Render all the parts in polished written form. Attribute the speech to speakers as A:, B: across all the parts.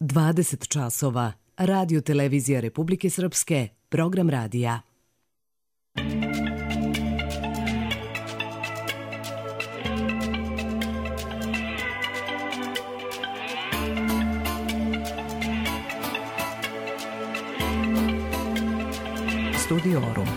A: 20 časova. Radio Televizija Republike Srpske, program radija. Studiorum.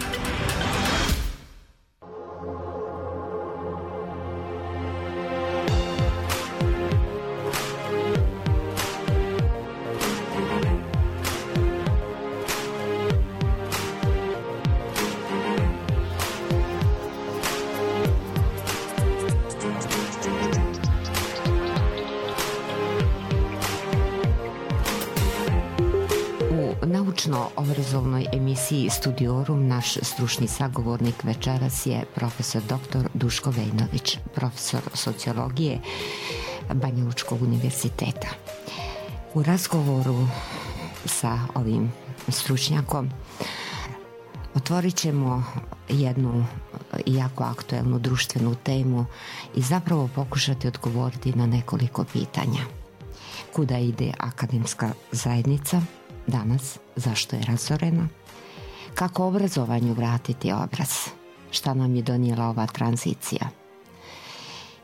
B: Obrazovnoj emisiji Studiorum naš stručni sagovornik večeras je profesor dr. Duško Vejnović, profesor sociologije Banja Lučkog univerziteta. U razgovoru sa ovim stručnjakom otvorit ćemo jednu jako aktuelnu društvenu temu i zapravo pokušati odgovoriti na nekoliko pitanja. Kuda ide akademska zajednica danas, zašto je razorena, kako obrazovanju vratiti obraz, šta nam je donijela ova tranzicija.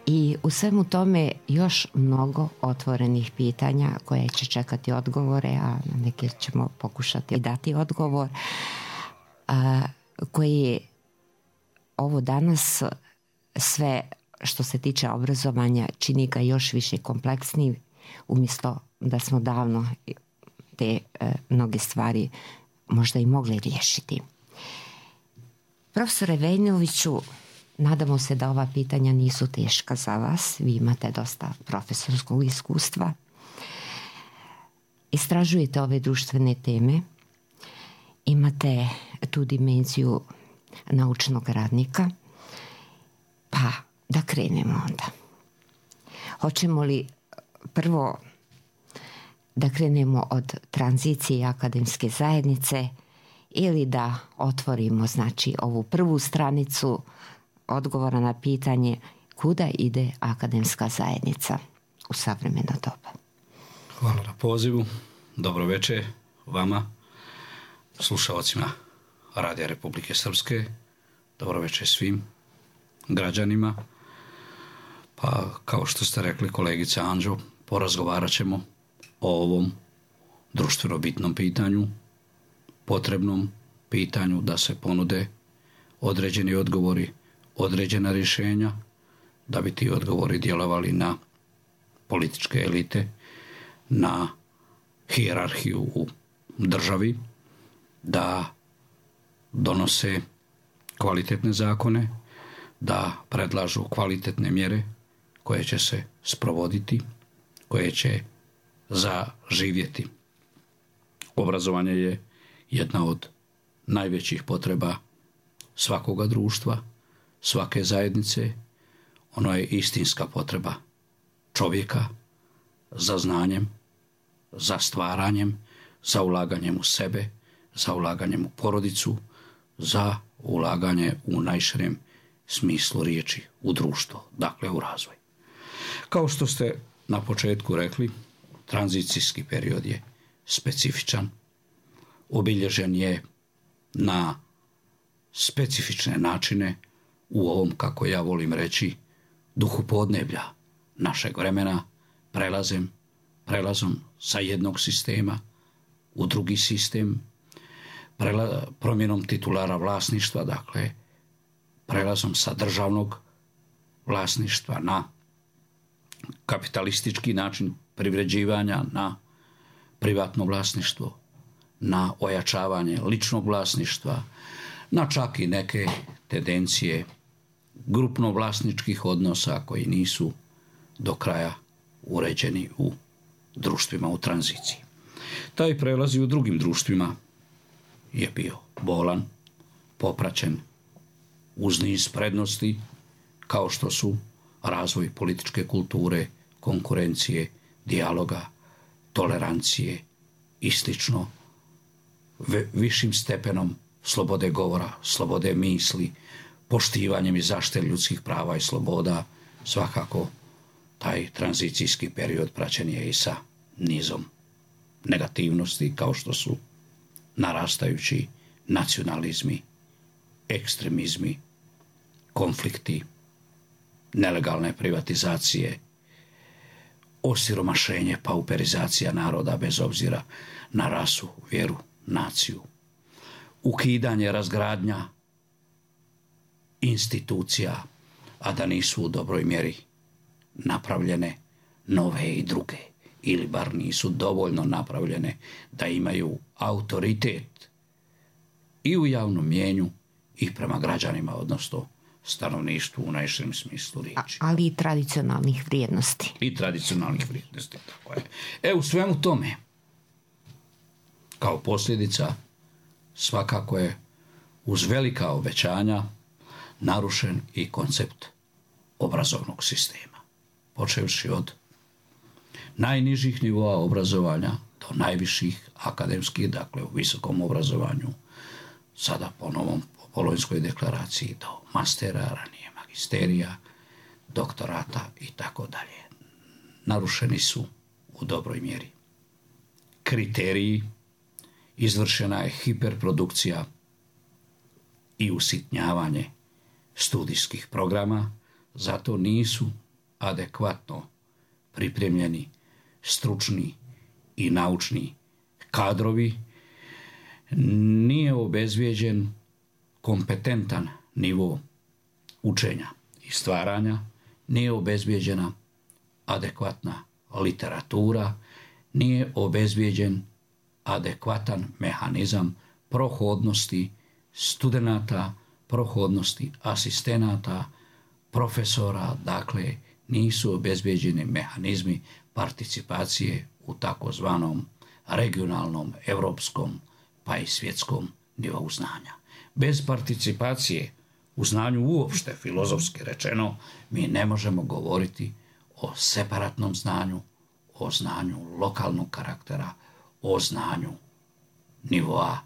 B: I u svemu tome još mnogo otvorenih pitanja koje će čekati odgovore, a na neke ćemo pokušati dati odgovor, koji ovo danas sve što se tiče obrazovanja čini ga još više kompleksniji, umjesto da smo davno te mnoge stvari možda i mogli riješiti. Profesore Vejnoviću, nadamo se da ova pitanja nisu teška za vas. Vi imate dosta profesorskog iskustva. Istražujete ove društvene teme. Imate tu dimenziju naučnog radnika. Pa da krenemo onda. Hoćemo li prvo da krenemo od tranzicije akademske zajednice ili da otvorimo, znači, ovu prvu stranicu odgovora na pitanje kuda ide akademska zajednica u savremeno doba?
C: Hvala na pozivu. Dobro večer vama, slušalcima Radija Republike Srpske. Dobro večer svim građanima. Pa, kao što ste rekli, kolegica Anđo, porazgovarat ćemo o ovom društveno bitnom pitanju, potrebnom pitanju da se ponude određeni odgovori, određena rješenja, da bi ti odgovori djelovali na političke elite, na hijerarhiju u državi, da donose kvalitetne zakone, da predlažu kvalitetne mjere koje će se sprovoditi, koje će zaživjeti. Obrazovanje je jedna od najvećih potreba svakoga društva, svake zajednice. Ono je istinska potreba čovjeka za znanjem, za stvaranjem, za ulaganjem u sebe, za ulaganjem u porodicu, za ulaganje u najširem smislu riječi u društvo, dakle u razvoj. Kao što ste na početku rekli, tranzicijski period je specifičan, obilježen je na specifične načine u ovom, kako ja volim reći, duhu podneblja našeg vremena, prelazom sa jednog sistema u drugi sistem, promjenom titulara vlasništva, dakle prelazom sa državnog vlasništva na kapitalistički način privređivanja, na privatno vlasništvo, na ojačavanje ličnog vlasništva, na čak i neke tendencije grupno vlasničkih odnosa koji nisu do kraja uređeni u društvima u tranziciji. Taj prelaz i u drugim društvima je bio bolan, popraćen uz niz prednosti kao što su razvoj političke kulture, konkurencije, dijaloga, tolerancije i slično, višim stepenom slobode govora, slobode misli, poštivanjem i zaštite ljudskih prava i sloboda. Svakako taj tranzicijski period praćen je i sa nizom negativnosti kao što su narastajući nacionalizmi, ekstremizmi, konflikti, nelegalne privatizacije, osiromašenje, pauperizacija naroda bez obzira na rasu, vjeru, naciju, ukidanje, razgradnja institucija, a da nisu u dobroj mjeri napravljene nove i druge, ili bar nisu dovoljno napravljene da imaju autoritet i u javnom mjenju i prema građanima, odnosno stanovništvu u najširem smislu riječi.
B: Ali i tradicionalnih vrijednosti.
C: I tradicionalnih vrijednosti, tako je. U svemu tome, kao posljedica, svakako je uz velika obećanja narušen i koncept obrazovnog sistema. Počevši od najnižih nivoa obrazovanja do najviših akademskih, dakle u visokom obrazovanju, sada po novom Bolonjskoj deklaraciji, do mastera, ranije magisterija, doktorata i tako dalje. Narušeni su u dobroj mjeri kriteriji, izvršena je hiperprodukcija i usitnjavanje studijskih programa, zato nisu adekvatno pripremljeni stručni i naučni kadrovi, nije obezvijeđen kompetentan nivo učenja i stvaranja, nije obezvijeđena adekvatna literatura, nije obezvijeđen adekvatan mehanizam prohodnosti studenata, prohodnosti asistenata, profesora, dakle nisu obezvijeđeni mehanizmi participacije u takozvanom regionalnom, europskom pa i svjetskom nivou znanja. Bez participacije u znanju uopšte, filozofski rečeno, mi ne možemo govoriti o separatnom znanju, o znanju lokalnog karaktera, o znanju nivoa,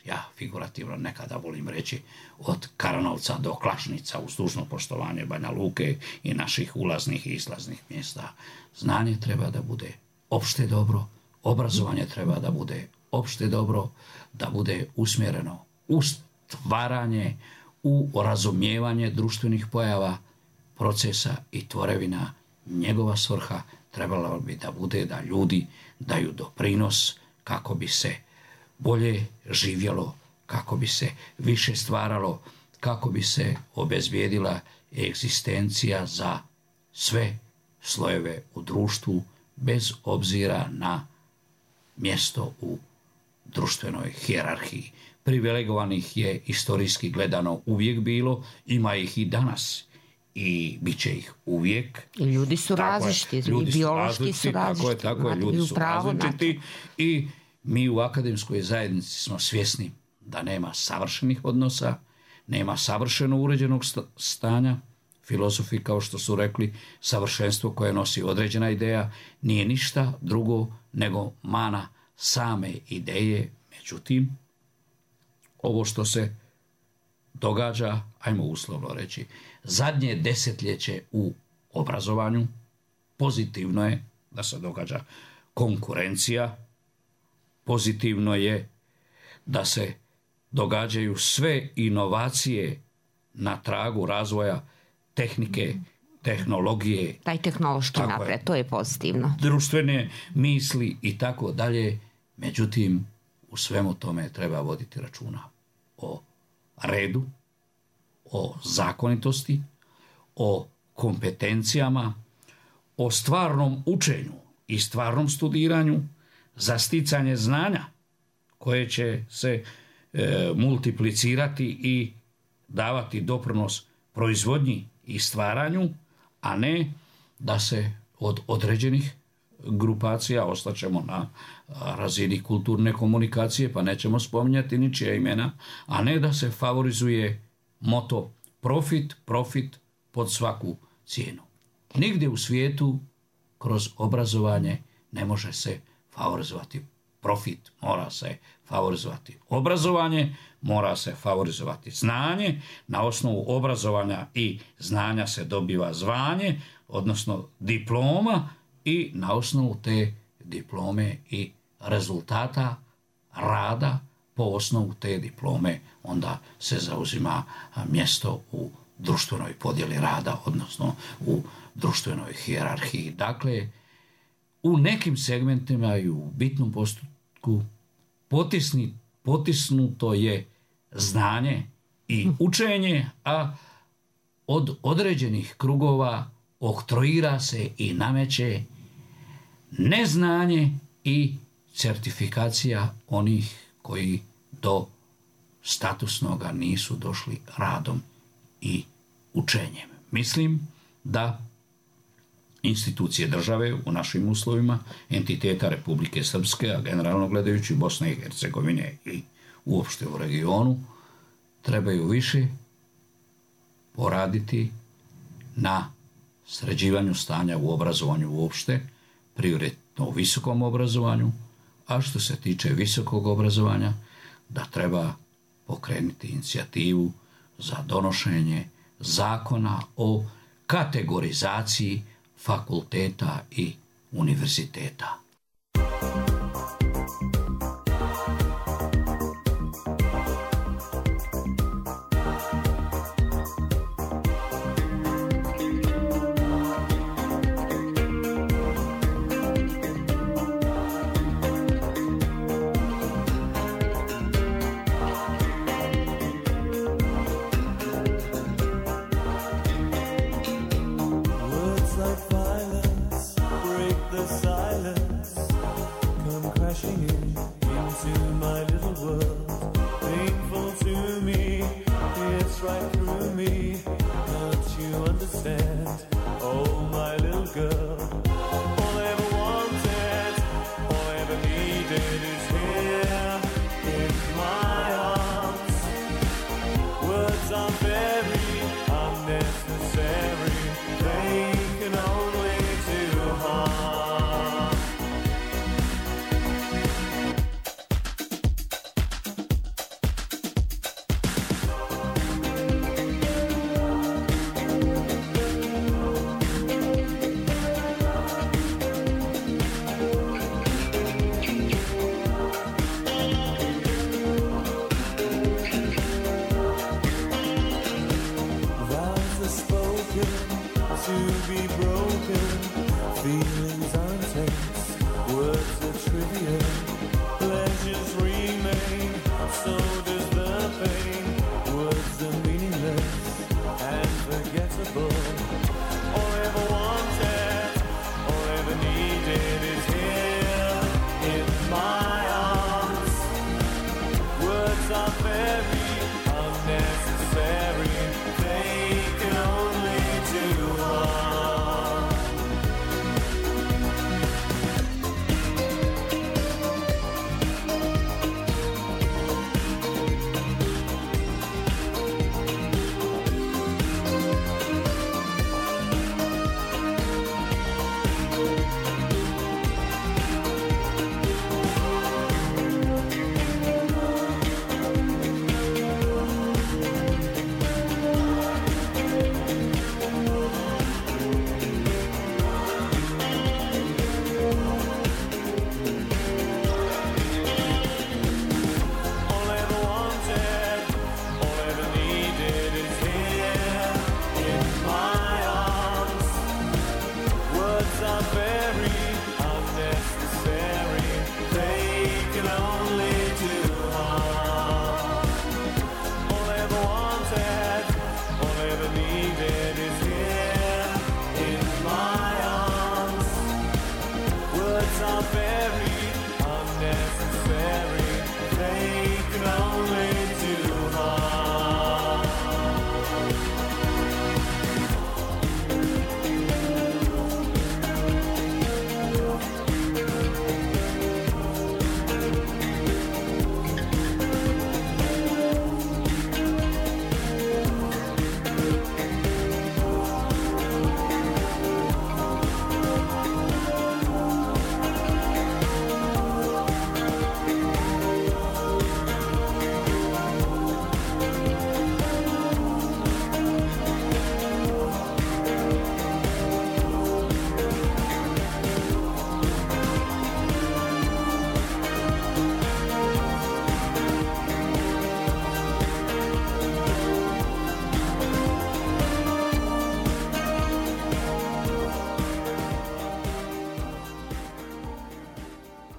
C: ja figurativno nekada volim reći, od Karanovca do Klašnica, uz dužno poštovanje Banja Luke i naših ulaznih i izlaznih mjesta. Znanje treba da bude opšte dobro, obrazovanje treba da bude opšte dobro, da bude usmjereno u stvaranje, u razumijevanje društvenih pojava, procesa i tvorevina. Njegova svrha trebala bi da bude da ljudi daju doprinos kako bi se bolje živjelo, kako bi se više stvaralo, kako bi se obezbijedila egzistencija za sve slojeve u društvu, bez obzira na mjesto u društvenoj hijerarhiji. Privilegovanih je istorijski gledano uvijek bilo, ima ih i danas i bit će ih uvijek.
B: I ljudi su različiti, i biološki su različiti.
C: Tako je, ljudi su različiti i mi u akademskoj zajednici smo svjesni da nema savršenih odnosa, nema savršeno uređenog stanja. Filozofi, kao što su rekli, savršenstvo koje nosi određena ideja nije ništa drugo nego mana same ideje. Međutim, ovo što se događa, ajmo uslovno reći, zadnje desetljeće u obrazovanju, pozitivno je da se događa konkurencija, pozitivno je da se događaju sve inovacije na tragu razvoja tehnike, tehnologije.
B: Taj tehnološki napred, to je pozitivno.
C: Društvene misli i tako dalje. Međutim, u svemu tome treba voditi računa o redu, o zakonitosti, o kompetencijama, o stvarnom učenju i stvarnom studiranju za sticanje znanja koje će se multiplicirati i davati doprinos proizvodnji i stvaranju, a ne da se od određenih grupacija ostaćemo na razini kulturne komunikacije, pa nećemo spominjati ničija imena, a ne da se favorizuje moto profit pod svaku cijenu. Nigdje u svijetu kroz obrazovanje ne može se favorizovati profit, mora se favorizovati obrazovanje, mora se favorizovati znanje, na osnovu obrazovanja i znanja se dobiva zvanje, odnosno diploma, i na osnovu te diplome i rezultata rada po osnovu te diplome onda se zauzima mjesto u društvenoj podjeli rada, odnosno u društvenoj hijerarhiji. Dakle, u nekim segmentima i u bitnom postupku potisnuto je znanje i učenje, a od određenih krugova oktroira se i nameće neznanje i certifikacija onih koji do statusnoga nisu došli radom i učenjem. Mislim da institucije države u našim uslovima, entiteta Republike Srpske, a generalno gledajući Bosne i Hercegovine i uopšte u regionu, trebaju više poraditi na sređivanju stanja u obrazovanju uopšte, prioritetno u visokom obrazovanju, a što se tiče visokog obrazovanja, da treba pokrenuti inicijativu za donošenje zakona o kategorizaciji fakulteta i univerziteta.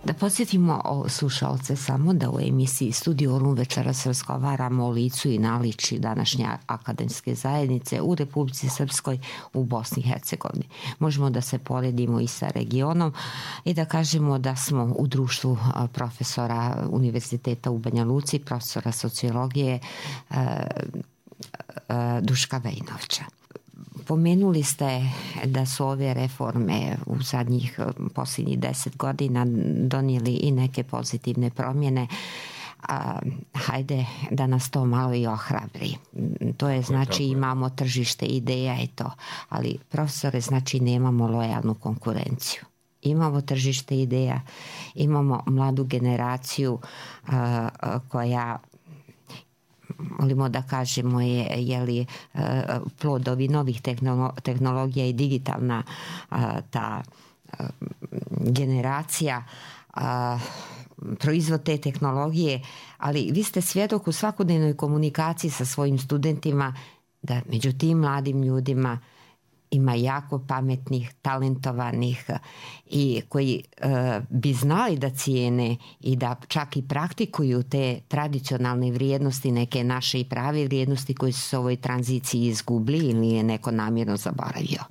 B: Da podsjetimo slušalce samo da u emisiji Studiorum večeras razgovaramo o licu i naličju današnje akademske zajednice u Republici Srpskoj, u Bosni i Hercegovini. Možemo da se poredimo i sa regionom i da kažemo da smo u društvu profesora Univerziteta u Banja Luci, profesora sociologije Duška Vejnovića. Pomenuli ste da su ove reforme u zadnjih posljednjih 10 godina donijeli i neke pozitivne promjene. Hajde da nas to malo i ohrabri. To je znači imamo tržište ideja i to, ali profesore znači nemamo lojalnu konkurenciju. Imamo tržište ideja, imamo mladu generaciju koja, volimo da kažemo, je plod ovih novih tehnologija i digitalna ta generacija, proizvod te tehnologije, ali vi ste svjedok u svakodnevnoj komunikaciji sa svojim studentima da među tim mladim ljudima ima jako pametnih, talentovanih i koji bi znali da cijene i da čak i praktikuju te tradicionalne vrijednosti, neke naše i prave vrijednosti koje su se u ovoj tranziciji izgubili ili je neko namjerno zaboravio.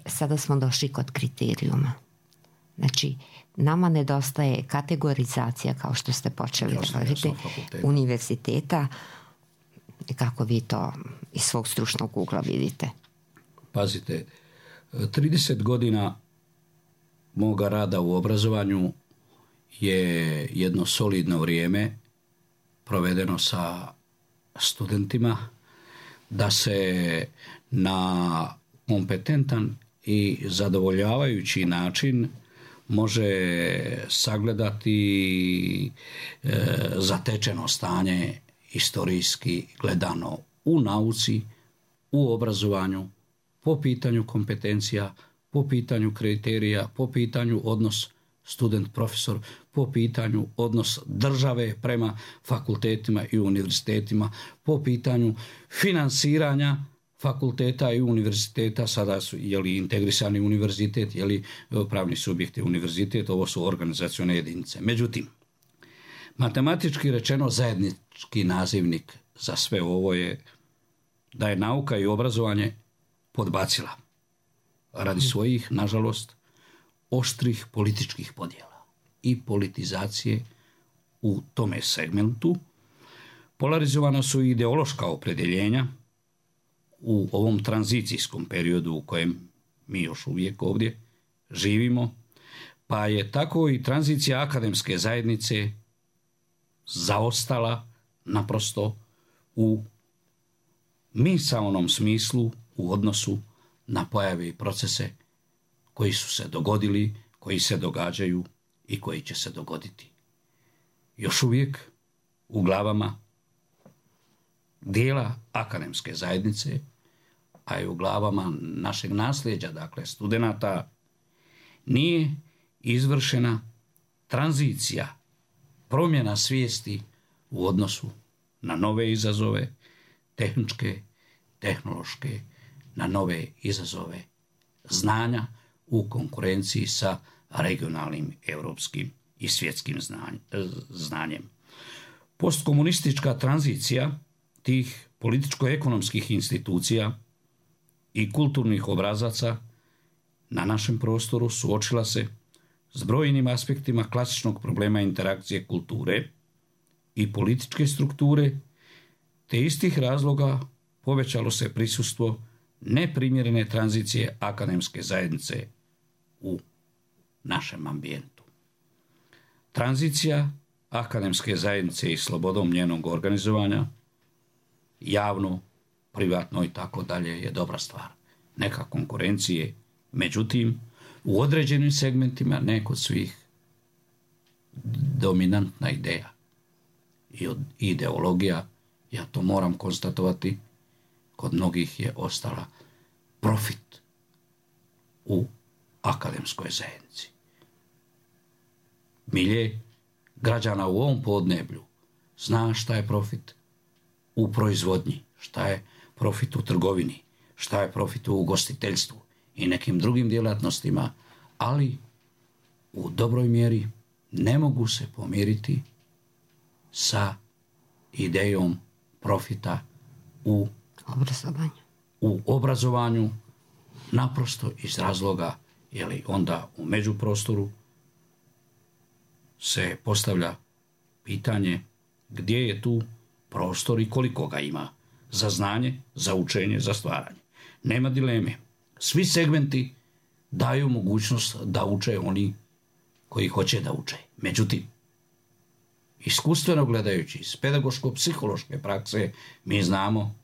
B: Sada smo došli kod kriterijuma. Znači, nama nedostaje kategorizacija, kao što ste počeli govoriti, univerziteta. Kako vi to iz svog stručnog ugla vidite?
C: Pazite, 30 godina moga rada u obrazovanju je jedno solidno vrijeme provedeno sa studentima da se na kompetentan i zadovoljavajući način može sagledati zatečeno stanje historijski gledano u nauci, u obrazovanju, po pitanju kompetencija, po pitanju kriterija, po pitanju odnos student-profesor, po pitanju odnos države prema fakultetima i univerzitetima, po pitanju finansiranja fakulteta i univerziteta, sada su integrisani univerzitet, pravni subjekti univerzitet, ovo su organizacione jedinice. Međutim, matematički rečeno zajednički nazivnik za sve ovo je da je nauka i obrazovanje podbacila radi svojih, nažalost, oštrih političkih podjela i politizacije u tome segmentu. Polarizovana su ideološka opredjeljenja u ovom tranzicijskom periodu u kojem mi još uvijek ovdje živimo, pa je tako i tranzicija akademske zajednice zaostala naprosto u misaonom smislu u odnosu na pojave i procese koji su se dogodili, koji se događaju i koji će se dogoditi. Još uvijek u glavama dijela akademske zajednice, a i u glavama našeg nasljeđa, dakle studenata, nije izvršena tranzicija, promjena svijesti u odnosu na nove izazove, tehničke, tehnološke, na nove izazove znanja u konkurenciji sa regionalnim, europskim i svjetskim znanjem. Postkomunistička tranzicija tih političko-ekonomskih institucija i kulturnih obrazaca na našem prostoru suočila se s brojnim aspektima klasičnog problema interakcije kulture i političke strukture, te istih razloga povećalo se prisustvo neprimjerene tranzicije akademske zajednice u našem ambijentu. Tranzicija akademske zajednice i slobodom njenog organizovanja, javno, privatno i tako dalje, je dobra stvar. Neka konkurencije, međutim, u određenim segmentima, ne kod svih, dominantna ideja i ideologija, ja to moram konstatovati, kod mnogih je ostala profit u akademskoj zajednici. Milje građana u ovom podneblju zna šta je profit u proizvodnji, šta je profit u trgovini, šta je profit u ugostiteljstvu i nekim drugim djelatnostima, ali u dobroj mjeri ne mogu se pomiriti sa idejom profita u obrazovanju, naprosto iz razloga, jer onda u međuprostoru se postavlja pitanje gdje je tu prostor i koliko ga ima za znanje, za učenje, za stvaranje. Nema dileme. Svi segmenti daju mogućnost da uče oni koji hoće da uče. Međutim, iskustveno gledajući iz pedagoško-psihološke prakse, mi znamo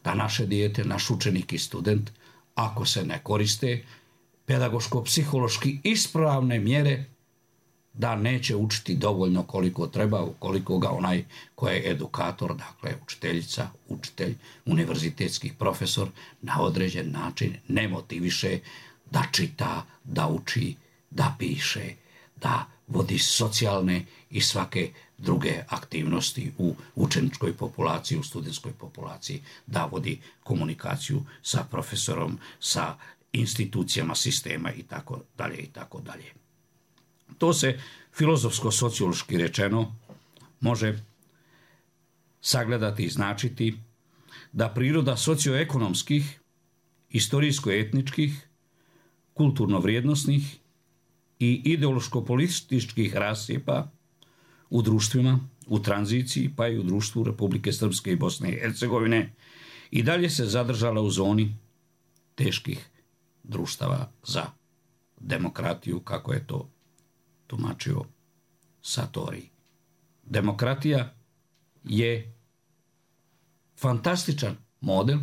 C: da naše dijete, naš učenik i student, ako se ne koriste pedagoško-psihološki ispravne mjere, da neće učiti dovoljno koliko treba, ukoliko ga onaj koji je edukator, dakle učiteljica, učitelj, univerzitetski profesor, na određen način ne motiviše da čita, da uči, da piše, da vodi socijalne i svake druge aktivnosti u učeničkoj populaciji, u studentskoj populaciji, da vodi komunikaciju sa profesorom, sa institucijama sistema i tako dalje i tako dalje. To se filozofsko-sociološki rečeno može sagledati i značiti da priroda socioekonomskih, istorijsko-etničkih, kulturno-vrijednosnih i ideološko-političkih rascijepa u društvima, u tranziciji, pa i u društvu Republike Srpske i Bosne i Hercegovine i dalje se zadržala u zoni teških društava za demokratiju, kako je to tumačio Satori. Demokratija je fantastičan model,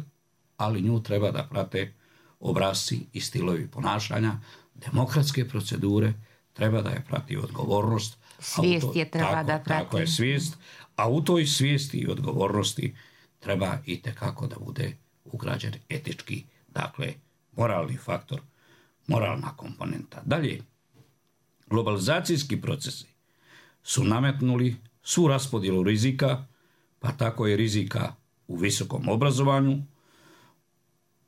C: ali nju treba da prate obrasci i stilovi ponašanja. Demokratske procedure treba da je prati odgovornost.
B: Svijest je treba da prati.
C: Tako je svijest, a u toj svijesti i odgovornosti treba i tekako da bude ugrađen etički, dakle, moralni faktor, moralna komponenta. Dalje, globalizacijski procesi su nametnuli svu raspodjelu rizika, pa tako i rizika u visokom obrazovanju,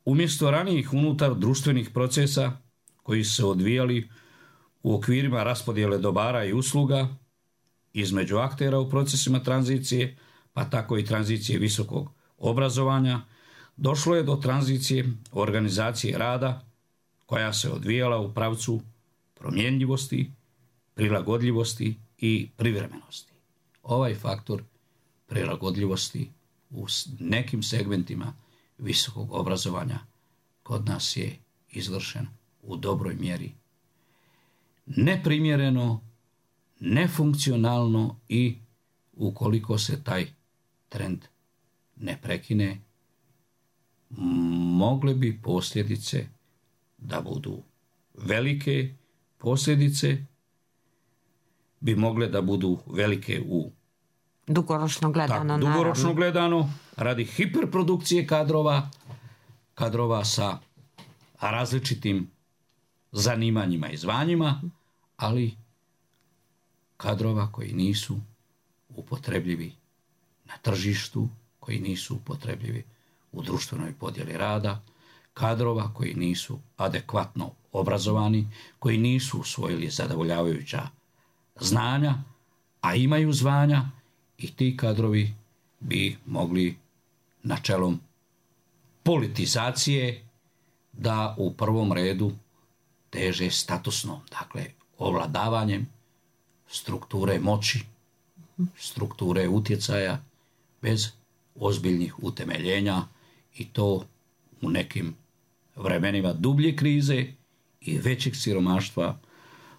C: umjesto ranijih unutar društvenih procesa koji su se odvijali u okvirima raspodjele dobara i usluga između aktera u procesima tranzicije, pa tako i tranzicije visokog obrazovanja, došlo je do tranzicije organizacije rada koja se odvijala u pravcu promjenjivosti, prilagodljivosti i privremenosti. Ovaj faktor prilagodljivosti u nekim segmentima visokog obrazovanja kod nas je izvršen u dobroj mjeri neprimjereno, nefunkcionalno i ukoliko se taj trend ne prekine, mogle bi posljedice da budu velike, posljedice bi mogle da budu velike u
B: dugoročno gledano,
C: dugoročno gledano, radi hiperprodukcije kadrova sa različitim zanimanjima i zvanjima, ali kadrova koji nisu upotrebljivi na tržištu, koji nisu upotrebljivi u društvenoj podjeli rada, kadrova koji nisu adekvatno obrazovani, koji nisu usvojili zadovoljavajuća znanja, a imaju zvanja, i ti kadrovi bi mogli načelom politizacije da u prvom redu teže statusno, dakle ovladavanjem strukture moći, strukture utjecaja bez ozbiljnih utemeljenja, i to u nekim vremenima dublje krize i većeg siromaštva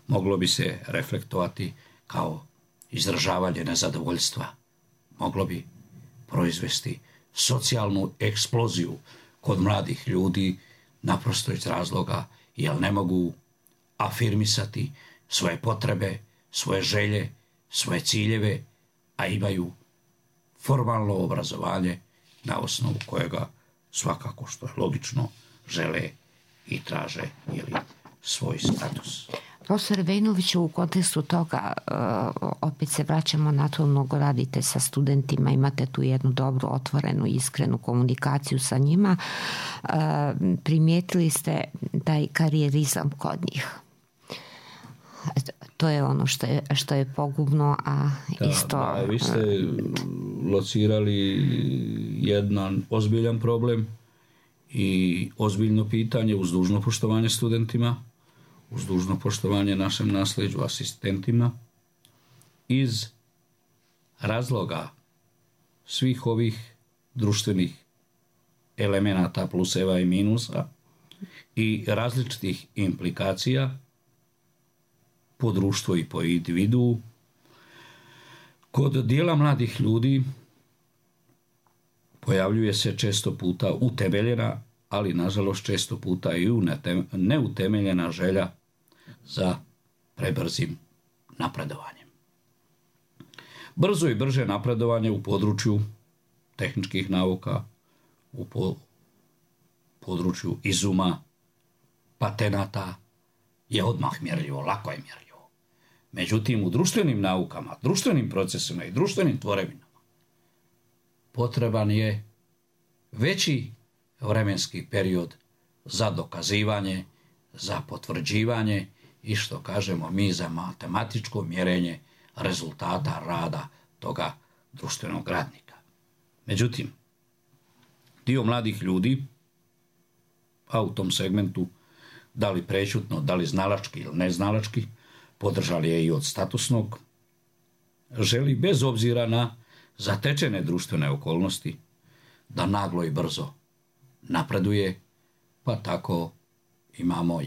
C: moglo bi se reflektovati kao izražavanje nezadovoljstva. Moglo bi proizvesti socijalnu eksploziju kod mladih ljudi, naprosto iz razloga jer ne mogu afirmisati svoje potrebe, svoje želje, svoje ciljeve, a imaju formalno obrazovanje na osnovu kojega svakako, što je logično, žele i traže svoj status.
B: Profesor Vejnoviću, u kontekstu toga, opet se vraćamo na to, mnogo radite sa studentima, imate tu jednu dobru, otvorenu, iskrenu komunikaciju sa njima. Primijetili ste taj karijerizam kod njih. to je ono što je pogubno, a isto...
C: Vi ste locirali jedan ozbiljan problem i ozbiljno pitanje uz dužno poštovanje studentima, uz dužno poštovanje našem nasleđu, asistentima, iz razloga svih ovih društvenih elemenata pluseva i minusa i različitih implikacija po društvo i po individu. Kod dijela mladih ljudi pojavljuje se često puta utemeljena, ali nažalost često puta i neutemeljena želja za prebrzim napredovanjem. Brzo i brže napredovanje u području tehničkih nauka, u području izuma, patenata je odmah mjerljivo, lako je mjerljivo. Međutim, u društvenim naukama, društvenim procesima i društvenim tvorevinama potreban je veći vremenski period za dokazivanje, za potvrđivanje i što kažemo mi za matematičko mjerenje rezultata rada toga društvenog radnika. Međutim, dio mladih ljudi, a u tom segmentu da li prećutno, da li znalački ili neznalački, podržali je i od statusnog, želi bez obzira na zatečene društvene okolnosti da naglo i brzo napreduje, pa tako imamo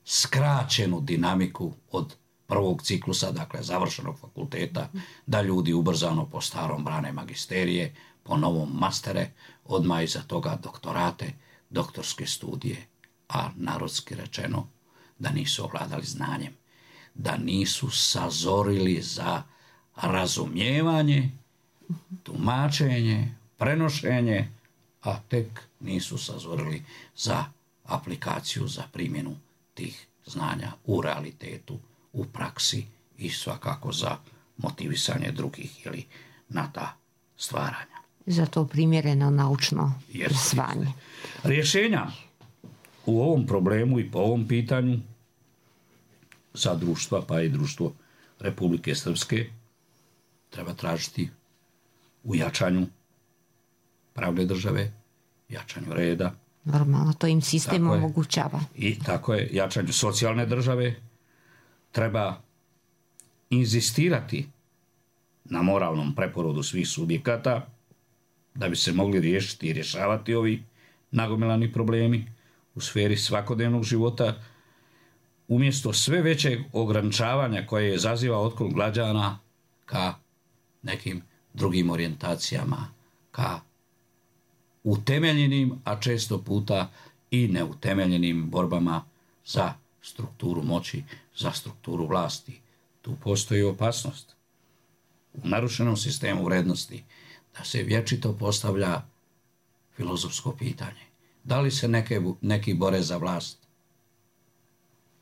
C: skraćenu dinamiku od prvog ciklusa, dakle završenog fakulteta, da ljudi ubrzano po starom brane magisterije, po novom mastere, odmah iza toga doktorate, doktorske studije, a narodski rečeno da nisu ovladali znanjem, da nisu sazorili za razumijevanje, tumačenje, prenošenje, a tek nisu sazorili za aplikaciju, za primjenu tih znanja u realitetu, u praksi i svakako za motivisanje drugih ili na ta stvaranja.
B: Za to primjereno naučno zvanje.
C: Rješenja u ovom problemu i po ovom pitanju za društva, pa i društvo Republike Srpske, treba tražiti u jačanju pravne države, jačanju reda.
B: Normalno, to im sistem omogućava.
C: I tako je, jačanju socijalne države. Treba inzistirati na moralnom preporodu svih subjekata da bi se mogli riješiti i rješavati ovi nagomilani problemi u sferi svakodnevnog života, umjesto sve većeg ograničavanja koje izaziva otklon građana ka nekim drugim orijentacijama, ka utemeljenim, a često puta i neutemeljenim borbama za strukturu moći, za strukturu vlasti. Tu postoji opasnost u narušenom sistemu vrednosti da se vječito postavlja filozofsko pitanje. Da li se neki bore za vlast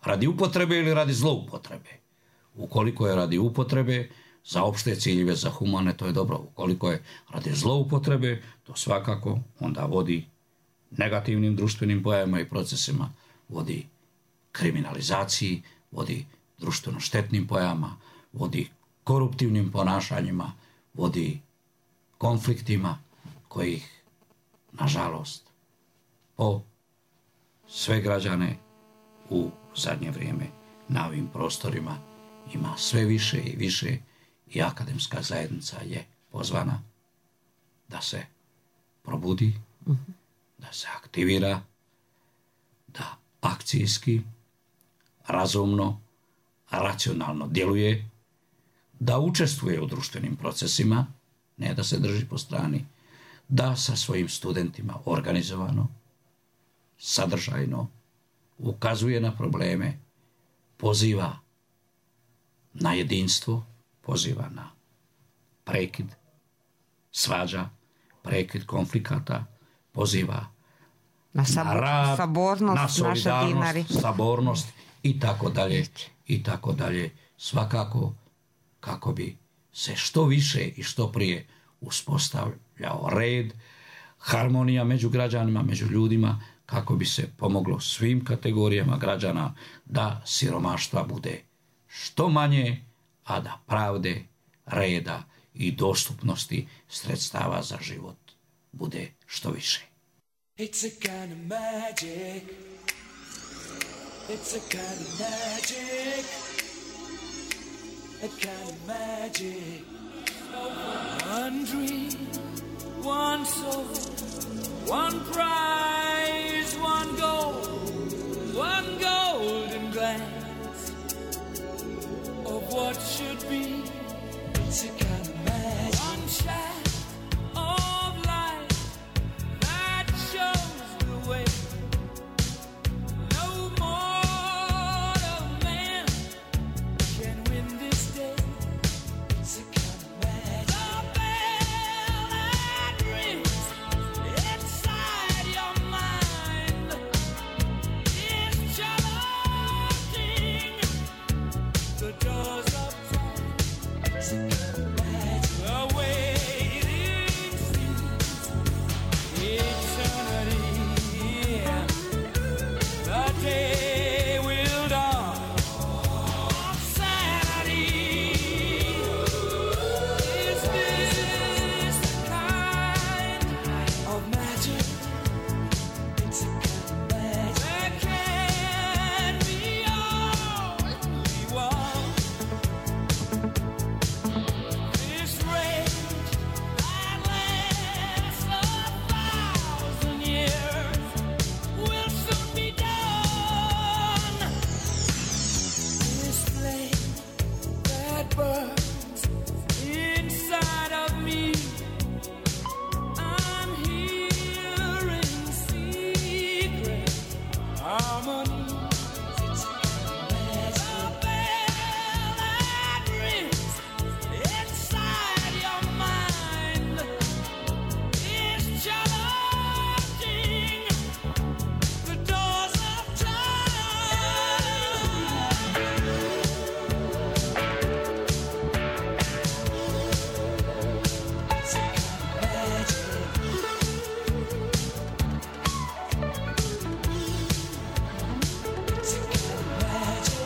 C: radi upotrebe ili radi zloupotrebe? Ukoliko je radi upotrebe, za opšte ciljeve, za humane, to je dobro. Ukoliko je radi zloupotrebe, to svakako onda vodi negativnim društvenim pojavama i procesima, vodi kriminalizaciji, vodi društveno štetnim pojavama, vodi koruptivnim ponašanjima, vodi konfliktima kojih, nažalost, po sve građane u zadnje vrijeme na ovim prostorima ima sve više i više i akademska zajednica je pozvana da se probudi, da se aktivira, da akcijski, razumno, racionalno djeluje, da učestvuje u društvenim procesima, ne da se drži po strani, da sa svojim studentima organizovano, sadržajno ukazuje na probleme, poziva na jedinstvo, poziva na prekid svađa, prekid konflikata, poziva na rad,
B: sabornost,
C: na solidarnost, sabornost i tako dalje, i tako dalje. Svakako kako bi se što više i što prije uspostavljao red, harmonija među građanima, među ljudima, kako bi se pomoglo svim kategorijama građana da siromaštva bude što manje, a da pravde, reda i dostupnosti sredstava za život bude što više.
D: It's a kind of magic. It's a kind of magic. A kind of magic. One dream, one soul, one prize, one golden glance of what should be. It's a kind of magic. One shot of light that shows the way. No mortal man can win this day. It's a kind of magic. The bell that rings inside your mind is charging the doors of time. It's a kind of magic. The waiting seems eternity. The day will dawn of sanity. Is this the kind of magic? It's a kind of magic. There can be only one. This rage that lasts 1,000 years will soon be done. This flame that burns inside of me, I'm hearing secret harmonies. It's a kind of magic. The bell that rings inside your mind is charging the doors of time. It's a kind of magic. It's a kind of magic.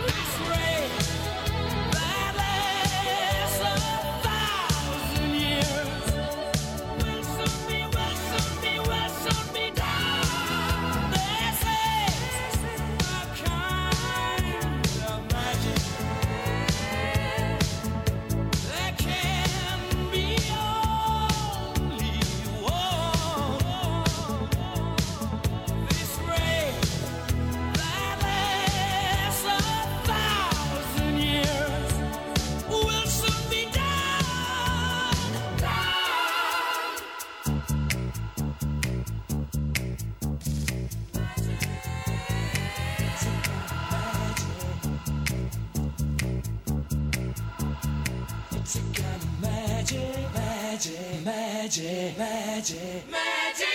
D: This ray that lasts 1,000 years will soon be done. This is a kind of magic. There can be only one. This ray that lasts 1,000 years will soon be done. It's a kind of magic, magic, magic, magic, magic.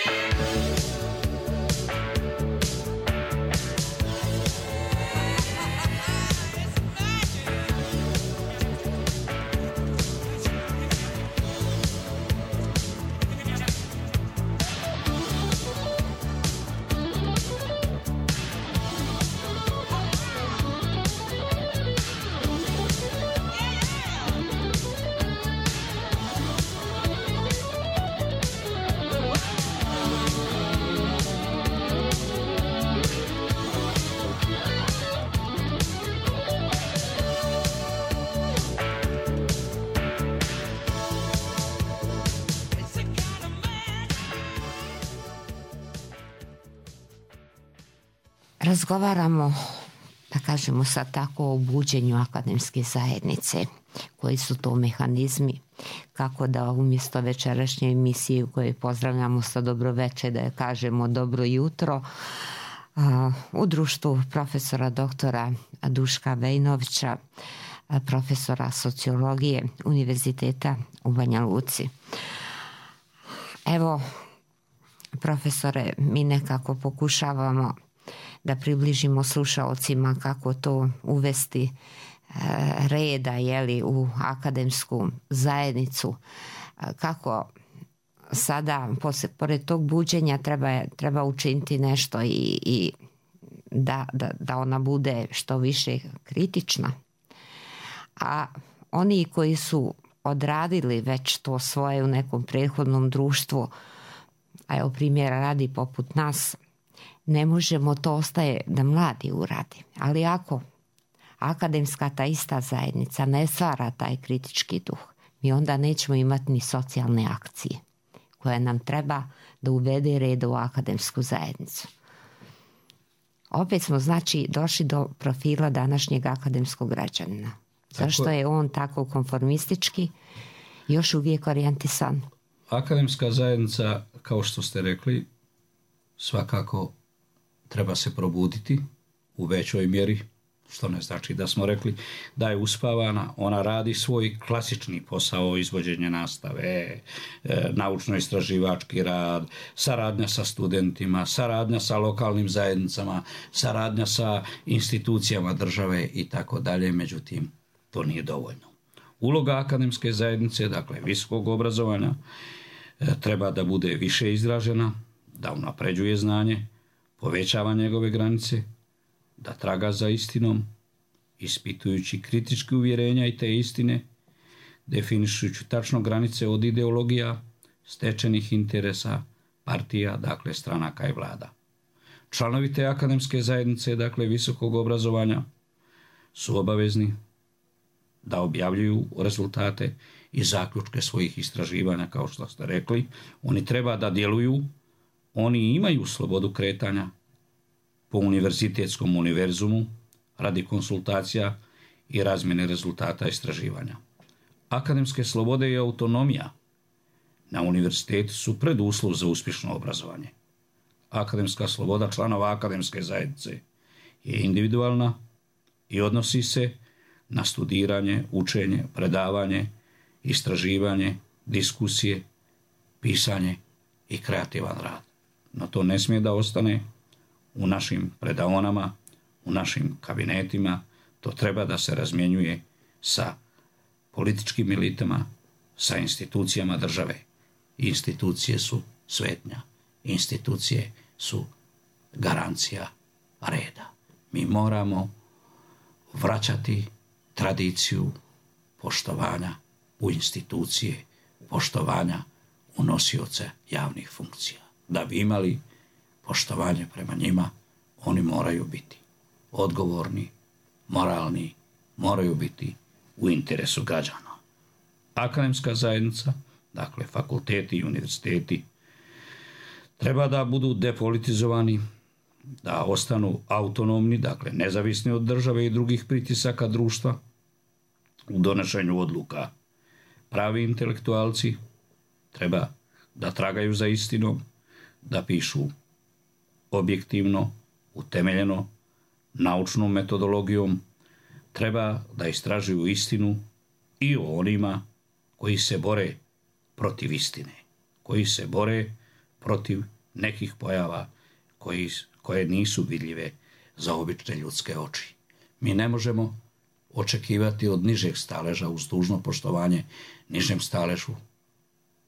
B: Razgovaramo, da kažemo sad tako, o buđenju akademske zajednice. Koji su to mehanizmi, kako da umjesto večerašnje emisije u kojoj pozdravljamo sa dobroveče, da je kažemo dobro jutro, u društvu profesora doktora Duška Vejnovića, profesora sociologije Univerziteta u Banja Luci. Evo, profesore, mi nekako pokušavamo da približimo slušaocima kako to uvesti reda, jeli, u akademsku zajednicu, kako sada pored tog buđenja treba učiniti nešto i da ona bude što više kritična. A oni koji su odradili već to svoje u nekom prethodnom društvu, a evo primjera radi poput nas, ne možemo, to ostaje da mladi uradi. Ali ako akademska ta ista zajednica ne stvara taj kritički duh, mi onda nećemo imati ni socijalne akcije koje nam treba da uvede red u akademsku zajednicu. Opet smo, znači, došli do profila današnjeg akademskog građanina. Zašto je on tako konformistički, još uvijek orijentisan?
C: Akademska zajednica, kao što ste rekli, svakako treba se probuditi u većoj mjeri, što ne znači da smo rekli da je uspavana. Ona radi svoj klasični posao izvođenja nastave, naučno-istraživački rad, saradnja sa studentima, saradnja sa lokalnim zajednicama, saradnja sa institucijama države i tako dalje. Međutim, to nije dovoljno. Uloga akademske zajednice, dakle visokog obrazovanja, treba da bude više izražena, da unapređuje znanje, povećava njegove granice, da traga za istinom, ispitujući kritičke uvjerenja i te istine, definišujući tačno granice od ideologija, stečenih interesa, partija, dakle stranaka i vlada. Članovi te akademske zajednice, dakle visokog obrazovanja, su obavezni da objavljuju rezultate i zaključke svojih istraživanja, kao što ste rekli. Oni treba da djeluju, oni imaju slobodu kretanja po univerzitetskom univerzumu radi konsultacija i razmjene rezultata istraživanja. Akademske slobode i autonomija na univerzitetu su preduslov za uspješno obrazovanje. Akademska sloboda članova akademske zajednice je individualna i odnosi se na studiranje, učenje, predavanje, istraživanje, diskusije, pisanje i kreativan rad. No to ne smije da ostane u našim predaonama, u našim kabinetima. To treba da se razmjenjuje sa političkim elitama, sa institucijama države. Institucije su svetnja. Institucije su garancija reda. Mi moramo vraćati tradiciju poštovanja u institucije, poštovanja u nosioce javnih funkcija. Da bi imali poštovanje prema njima, oni moraju biti odgovorni, moralni, moraju biti u interesu građana. Akademska zajednica, dakle fakulteti i univerziteti, treba da budu depolitizovani, da ostanu autonomni, dakle nezavisni od države i drugih pritisaka društva u donošenju odluka. Pravi intelektualci treba da tragaju za istinom, da pišu objektivno, utemeljeno, naučnom metodologijom, treba da istražuju istinu i o onima koji se bore protiv istine, koji se bore protiv nekih pojava koje nisu vidljive za obične ljudske oči. Mi ne možemo očekivati od nižeg staleža, uz dužno poštovanje nižem staležu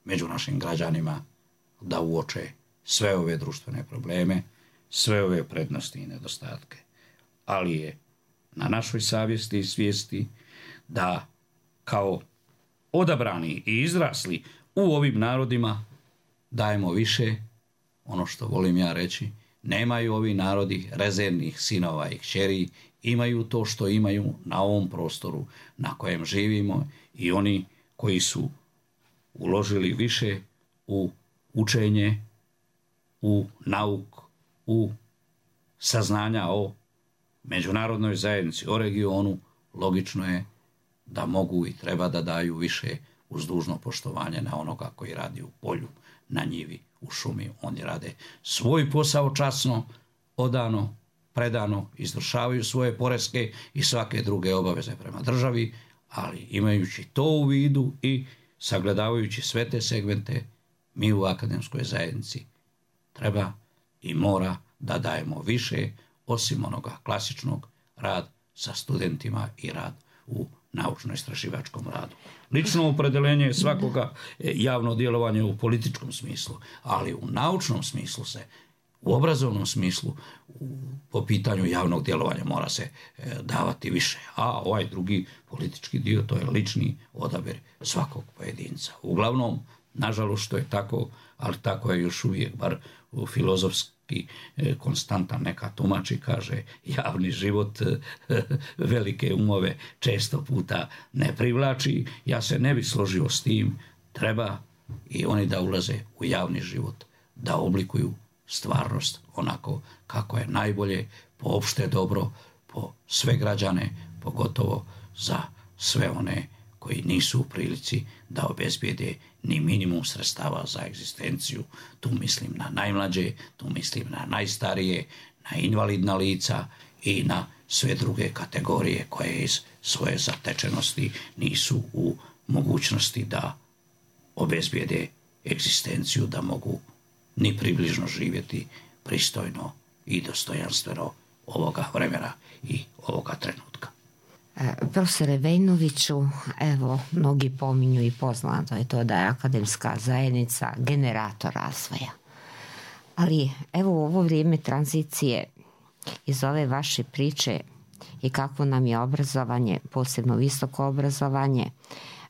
C: među našim građanima, da uoče sve ove društvene probleme, sve ove prednosti i nedostatke. Ali je na našoj savjesti i svijesti da kao odabrani i izrasli u ovim narodima dajemo više, ono što volim ja reći, nemaju ovi narodi rezervnih sinova i kćeri, imaju to što imaju na ovom prostoru na kojem živimo i oni koji su uložili više u učenje, u nauk, u saznanja o međunarodnoj zajednici, o regionu, logično je da mogu i treba da daju više uz dužno poštovanje na onoga koji radi u polju, na njivi, u šumi. Oni rade svoj posao časno, odano, predano, izvršavaju svoje poreske i svake druge obaveze prema državi, ali imajući to u vidu i sagledavajući sve te segmente, mi u akademskoj zajednici treba i mora da dajemo više, osim onoga klasičnog, rad sa studentima i rad u naučno-istraživačkom radu. Lično opredeljenje svakoga javno djelovanje u političkom smislu, ali u naučnom smislu se, u obrazovnom smislu, po pitanju javnog djelovanja mora se davati više. A ovaj drugi politički dio, to je lični odabir svakog pojedinca. Uglavnom, nažalost što je tako, ali tako je još uvijek, bar u filozofski konstantan neka tumači, kaže javni život velike umove često puta ne privlači. Ja se ne bih složio s tim, treba i oni da ulaze u javni život, da oblikuju stvarnost onako kako je najbolje po opšte dobro, po sve građane, pogotovo za sve one koji nisu u prilici da obezbijede ni minimum sredstava za egzistenciju. Tu mislim na najmlađe, tu mislim na najstarije, na invalidna lica i na sve druge kategorije koje iz svoje zatečenosti nisu u mogućnosti da obezbijede egzistenciju, da mogu ni približno živjeti pristojno i dostojanstveno ovoga vremena i ovoga trenutka.
B: Profesore Vejnoviću, evo, mnogi pominju i poznato je to da je akademska zajednica generator razvoja. Ali evo u ovo vrijeme tranzicije iz ove vaše priče i kakvo nam je obrazovanje, posebno visoko obrazovanje,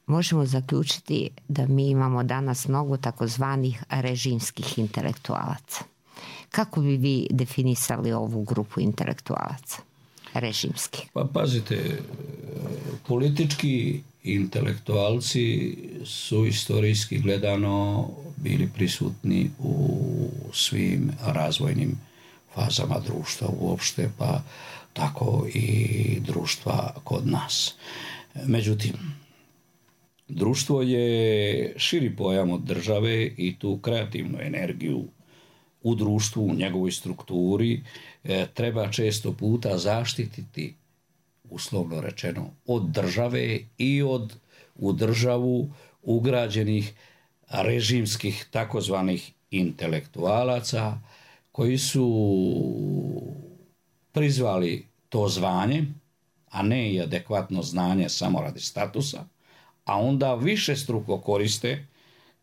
B: možemo zaključiti da mi imamo danas mnogo takozvanih režimskih intelektualaca. Kako bi vi definisali ovu grupu intelektualaca? Režimski.
C: Pa pazite, politički intelektualci su istorijski gledano bili prisutni u svim razvojnim fazama društva uopšte, pa tako i društva kod nas. Međutim, društvo je širi pojam od države i tu kreativnu energiju u društvu, u njegovoj strukturi treba često puta zaštititi, uslovno rečeno, od države i od u državu ugrađenih režimskih takozvanih intelektualaca koji su prizvali to zvanje, a ne i adekvatno znanje samo radi statusa, a onda višestruko koriste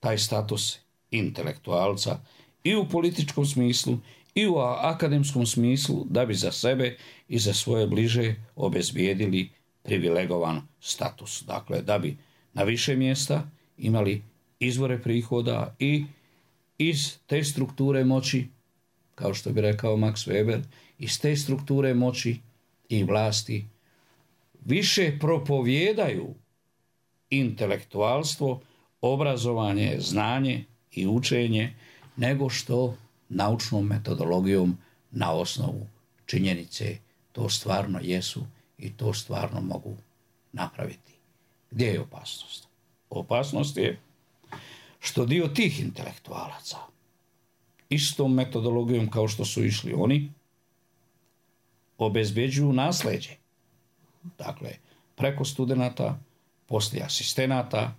C: taj status intelektualca i u političkom smislu i u akademskom smislu da bi za sebe i za svoje bliže obezbijedili privilegovan status. Dakle, da bi na više mjesta imali izvore prihoda i iz te strukture moći, kao što bi rekao Max Weber, iz te strukture moći i vlasti više propovijedaju intelektualstvo, obrazovanje, znanje i učenje nego što naučnom metodologijom na osnovu činjenice to stvarno jesu i to stvarno mogu napraviti. Gdje je opasnost? Opasnost je što dio tih intelektualaca istom metodologijom kao što su išli oni obezbeđuju nasleđe. Dakle, preko studenata, poslije asistenata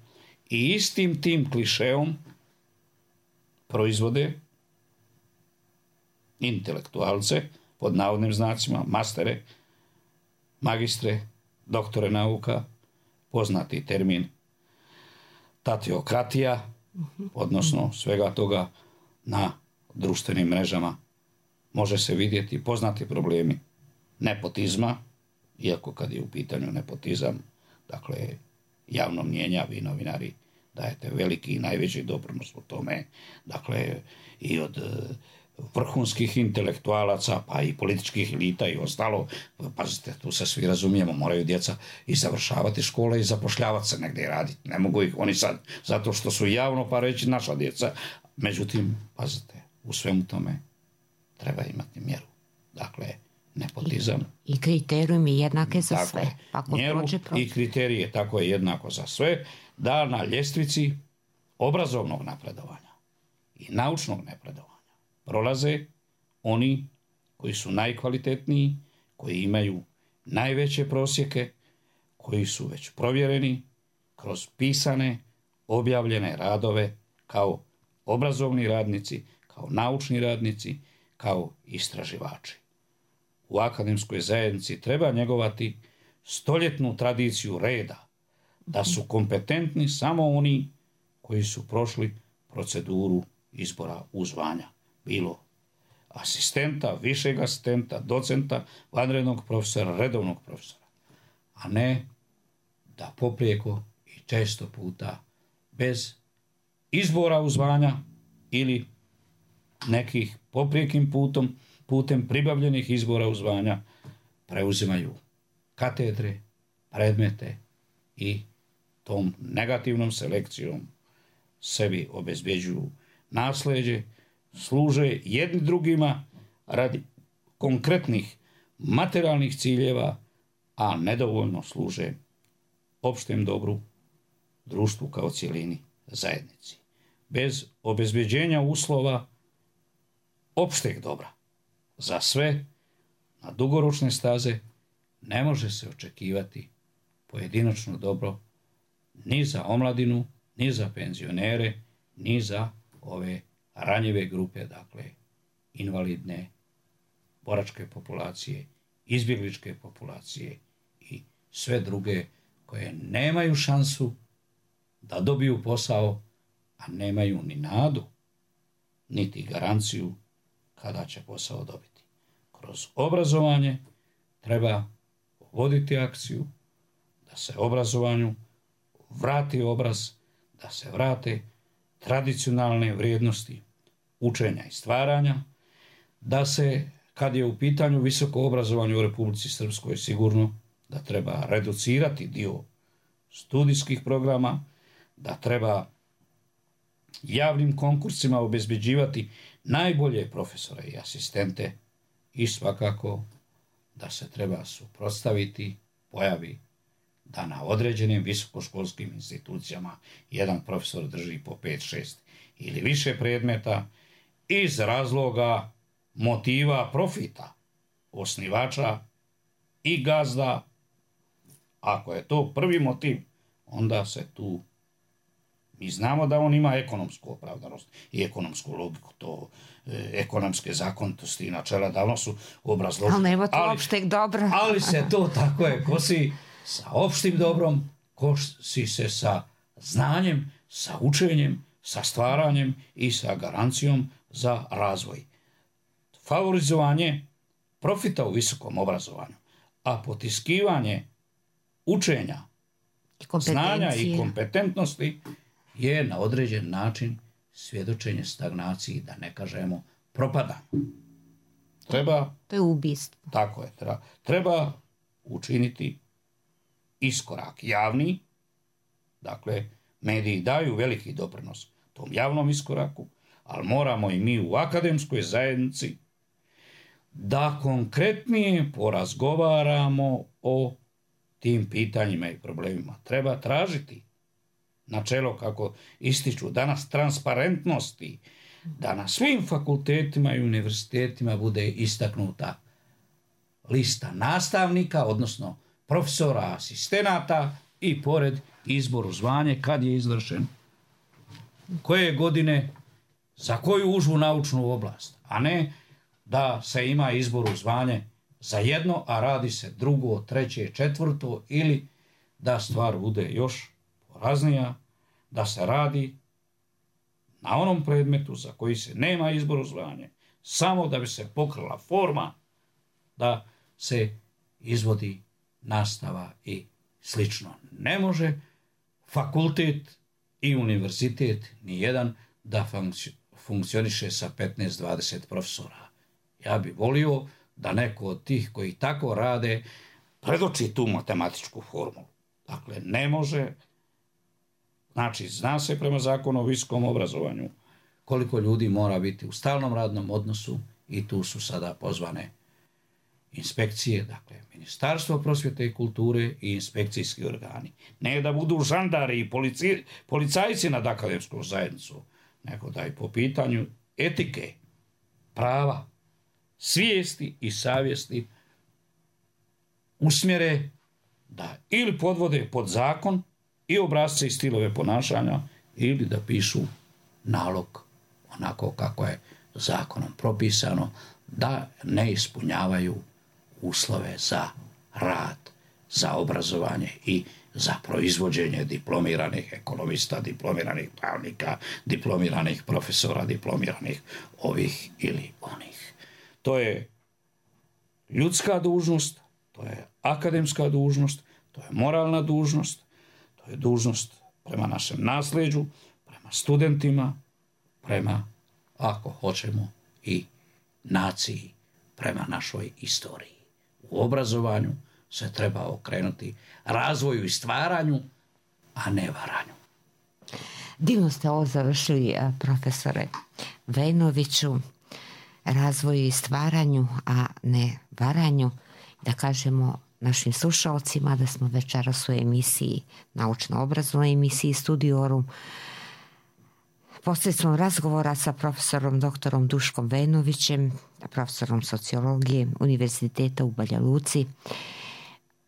C: i istim tim klišeom proizvode intelektualce, pod navodnim znacima, mastere, magistre, doktore nauka, poznati termin tatiokratija, odnosno svega toga na društvenim mrežama može se vidjeti poznati problemi nepotizma, iako kad je u pitanju nepotizam, dakle, javno mnijenja, vi novinari dajete veliki i najveći doprinos u tome, dakle, i od vrhunskih intelektualaca, pa i političkih elita i ostalo. Pazite, tu se svi razumijemo, moraju djeca i završavati škole i zapošljavati se negdje i raditi. Ne mogu ih oni sad, zato što su javno pa reći naša djeca. Međutim, pazite, u svemu tome treba imati mjeru. Dakle, nepotizam.
B: I kriterijumi jednake za
C: tako
B: sve.
C: Mjeru i kriterije, tako je jednako za sve, da na ljestvici obrazovnog napredovanja i naučnog napredovanja prolaze oni koji su najkvalitetniji, koji imaju najveće prosjeke, koji su već provjereni kroz pisane, objavljene radove kao obrazovni radnici, kao naučni radnici, kao istraživači. U akademskoj zajednici treba njegovati stoljetnu tradiciju reda, da su kompetentni samo oni koji su prošli proceduru izbora u zvanja. Bilo asistenta, višeg asistenta, docenta, vanrednog profesora, redovnog profesora. A ne da poprijeko i često puta bez izbora u zvanja ili nekih poprijekim putem pribavljenih izbora u zvanja preuzimaju katedre, predmete i tom negativnom selekcijom sebi obezbeđuju nasleđe, služe jedni drugima radi konkretnih materijalnih ciljeva, a nedovoljno služe opštem dobru, društvu kao cjelini, zajednici. Bez obezbeđenja uslova opšteg dobra za sve na dugoročne staze ne može se očekivati pojedinačno dobro ni za omladinu, ni za penzionere, ni za ove ranjive grupe, dakle invalidne, boračke populacije, izbjegličke populacije i sve druge koje nemaju šansu da dobiju posao, a nemaju ni nadu, niti garanciju kada će posao dobiti. Kroz obrazovanje treba voditi akciju da se obrazovanju vrati obraz, da se vrate tradicionalne vrijednosti učenja i stvaranja, da se, kad je u pitanju visoko obrazovanje u Republici Srpskoj, sigurno da treba reducirati dio studijskih programa, da treba javnim konkursima obezbeđivati najbolje profesore i asistente i svakako da se treba suprotstaviti pojavi da na određenim visokoškolskim institucijama jedan profesor drži po 5, 6 ili više predmeta iz razloga motiva profita osnivača i gazda. Ako je to prvi motiv, onda se tu, mi znamo da on ima ekonomsku opravdanost i ekonomsku logiku, to ekonomske zakonitosti i načela davno su obrazloženi.
B: Ali nema to opšteg dobra.
C: Ali se to tako je kosi sa opštim dobrom, kosi se sa znanjem, sa učenjem, sa stvaranjem i sa garancijom za razvoj. Favorizovanje profita u visokom obrazovanju, a potiskivanje učenja, znanja i kompetentnosti je na određen način svjedočenje stagnaciji, da ne kažemo propadanju.
B: To je ubistvo.
C: Tako je. Treba učiniti iskorak javni, dakle, mediji daju veliki doprinos tom javnom iskoraku, ali moramo i mi u akademskoj zajednici da konkretnije porazgovaramo o tim pitanjima i problemima. Treba tražiti načelo, kako ističu danas, transparentnosti, da na svim fakultetima i univerzitetima bude istaknuta lista nastavnika, odnosno profesora, asistenata i pored izbor u zvanje kad je izvršen, koje godine, za koju užu naučnu oblast, a ne da se ima izbor u zvanje za jedno, a radi se drugo, treće, četvrto, ili da stvar bude još poraznija, da se radi na onom predmetu za koji se nema izbor u zvanje, samo da bi se pokrila forma da se izvodi nastava i slično. Ne može fakultet i univerzitet nijedan da funkcioniše sa 15-20 profesora. Ja bih volio da neko od tih koji tako rade predoči tu matematičku formulu. Dakle, ne može. Znači, zna se prema zakonu o visokom obrazovanju koliko ljudi mora biti u stalnom radnom odnosu i tu su sada pozvane inspekcije, dakle, Ministarstvo prosvjete i kulture i inspekcijski organi. Ne da budu žandari i policajci nad akademskom zajednicom, nego da i po pitanju etike, prava, svijesti i savjesti usmjere da ili podvode pod zakon i obrasce i stilove ponašanja ili da pišu nalog onako kako je zakonom propisano, da ne ispunjavaju uslove za rad za obrazovanje i za proizvođenje diplomiranih ekonomista, diplomiranih pravnika, diplomiranih profesora, diplomiranih ovih ili onih. To je ljudska dužnost, to je akademska dužnost, to je moralna dužnost, to je dužnost prema našem nasljeđu, prema studentima, prema, ako hoćemo, i naciji, prema našoj istoriji. U obrazovanju se treba okrenuti razvoju i stvaranju, a ne varanju.
B: Divno ste ovo završili, profesore Vejnoviću, razvoju i stvaranju, a ne varanju. Da kažemo našim slušalcima da smo večeras u emisiji, naučno-obrazovnoj emisiji Studiorum, posredstvom razgovora sa profesorom doktorom Duškom Vejnovićem, profesorom sociologije Univerziteta u Banja Luci,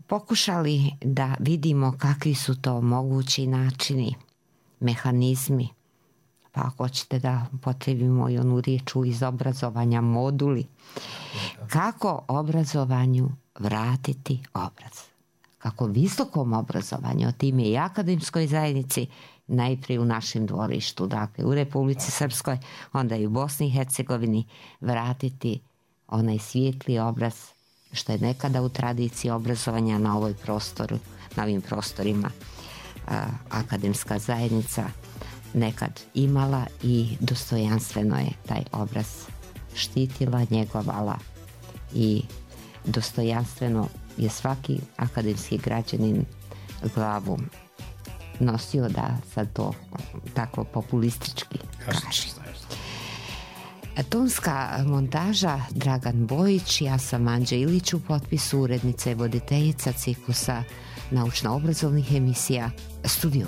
B: pokušali da vidimo kakvi su to mogući načini, mehanizmi, pa ako hoćete da potrebimo i onu riječu iz obrazovanja, moduli, kako obrazovanju vratiti obraz. Kako visokom obrazovanju, time i akademskoj zajednici, najprije u našem dvorištu, dakle u Republici Srpskoj, onda i u Bosni i Hercegovini, vratiti onaj svijetli obraz što je nekada u tradiciji obrazovanja na ovim prostorima akademska zajednica nekad imala i dostojanstveno je taj obraz štitila, njegovala i dostojanstveno je svaki akademski građanin glavu nosio, da sad to tako populistički kaže. Tonska montaža Dragan Bojić, ja sam Anđa Ilić, u potpisu urednica i voditeljica ciklusa naučno-obrazovnih emisija Studio.